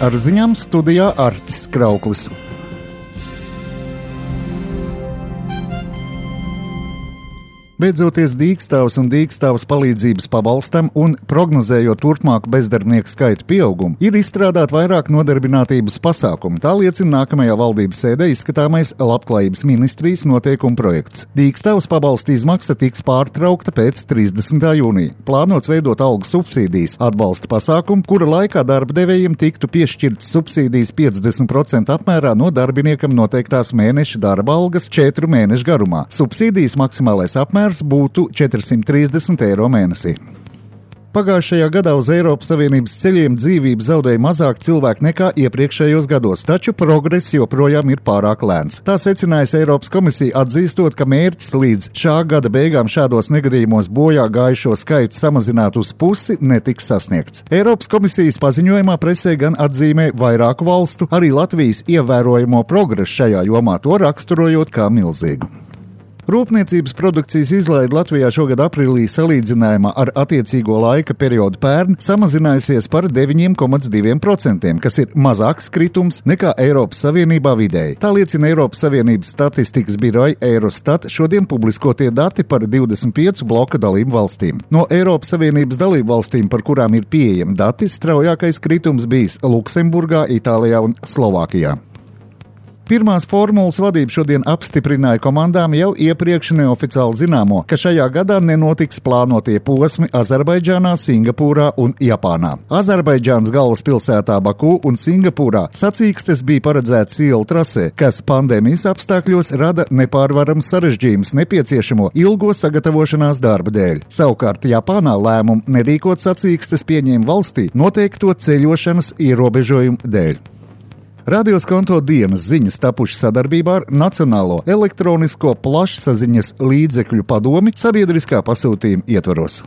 Ar ziņām studijā Artis Krauklis. Beidzoties Dīkstāvas un Dīkstāvas palīdzības pabalstam un prognozējot turpmāku bezdarbnieku skaitu pieaugumu, ir izstrādāt vairāk nodarbinātības pasākumu. Tā liecina nākamajā valdības sēdē izskatāmais Labklājības ministrijas noteikumu projekts. Dīkstāvas pabalsta izmaksa tiks pārtraukta pēc 30. jūnija. Plānots veidot algu subsīdijas atbalsta pasākumu, kura laikā darba devējiem tiktu piešķirtas subsīdijas 50% apmērā no darbiniekam noteiktās mēneša darba algas 4 mēnešu garumā. Subsīdijas maksimālais apmērs būtu 430 eiro mēnesī. Pagājušajā gadā uz Eiropas Savienības ceļiem dzīvību zaudēja mazāk cilvēku nekā iepriekšējos gados, taču progress joprojām ir pārāk lēns. Tā secinājusi Eiropas komisija, atzīstot, ka mērķis līdz šā gada beigām šādos negadījumos bojā gājušo skaitu samazināt uz pusi netiks sasniegts. Eiropas komisijas paziņojumā presē gan atzīmē vairāku valstu, arī Latvijas ievērojamo progresu šajā jomā, to raksturojot kā milzīgu. Rūpniecības produkcijas izlaide Latvijā šogad aprīlī salīdzinājumā ar attiecīgo laika periodu pērn samazinājusies par 9,2%, kas ir mazāks kritums nekā Eiropas Savienībā vidēji. Tā liecina Eiropas Savienības statistikas biroja Eurostat šodien publiskotie dati par 25 bloka dalību valstīm. No Eiropas Savienības dalību valstīm, par kurām ir pieejami dati, straujākais kritums bijis Luksemburgā, Itālijā un Slovākijā. Pirmās formulas vadība šodien apstiprināja komandām jau iepriekš neoficiāli zināmo, ka šajā gadā nenotiks plānotie posmi Azerbaidžānā, Singapūrā un Japānā. Azerbaidžānas galvaspilsētā Baku un Singapūrā sacīkstes bija paredzētas ielu trasē, kas pandēmijas apstākļos rada nepārvarams sarežģījums nepieciešamo ilgo sagatavošanās darba dēļ. Savukārt Japānā lēmumu nerīkot sacīkstes pieņēma valstī noteikto ceļošanas ierobežojumu dēļ. Radios Konto dienas ziņas tapušas sadarbībā ar Nacionālo elektronisko plašsaziņas līdzekļu padomi sabiedriskā pasūtījuma ietvaros.